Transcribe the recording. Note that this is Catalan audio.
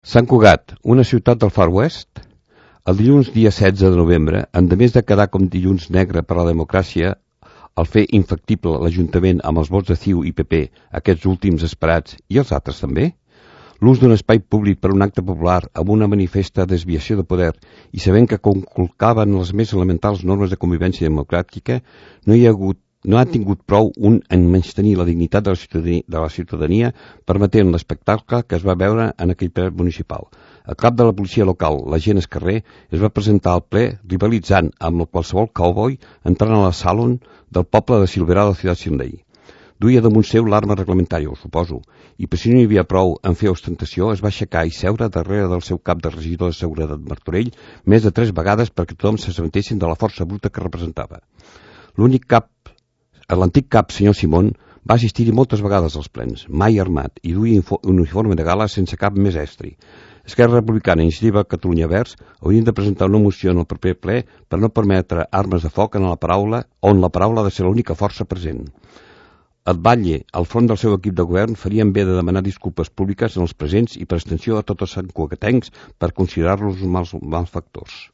Sant Cugat, una ciutat del Far West. El dilluns dia 16 de novembre, endemés de quedar com dilluns negre per a la democràcia, el fer infactible l'Ajuntament amb els vots de CiU i PP, aquests últims esperats, i els altres també, l'ús d'un espai públic per un acte popular amb una manifesta desviació de poder i sabent que conculcaven les més elementals normes de convivència democràtica, no ha tingut prou en menystenir la dignitat de la ciutadania permetent l'espectacle que es va veure en aquell ple municipal. El cap de la policia local, l'agent Escarrer, es va presentar al ple rivalitzant amb qualsevol cowboy entrant a la salon del poble de Silverà de la ciutat Sindai. Duia damunt seu l'arma reglamentària, ho suposo, i per si no hi havia prou en fer ostentació, es va aixecar i seure darrere del seu cap de regidor de seguretat Martorell més de 3 vegades perquè tothom s'assabentessin de la força bruta que representava. L'antic cap, senyor Simón, va assistir-hi moltes vegades als plens, mai armat, i duia un uniforme de gala sense cap més estri. Esquerra Republicana i Iniciativa Catalunya Verds haurien de presentar una moció en el proper ple per no permetre armes de foc on la paraula ha de ser l'única força present. El batlle, al front del seu equip de govern, farien bé de demanar disculpes públiques en els presents i per extensió a tots els santcugatencs per considerar-los mals factors.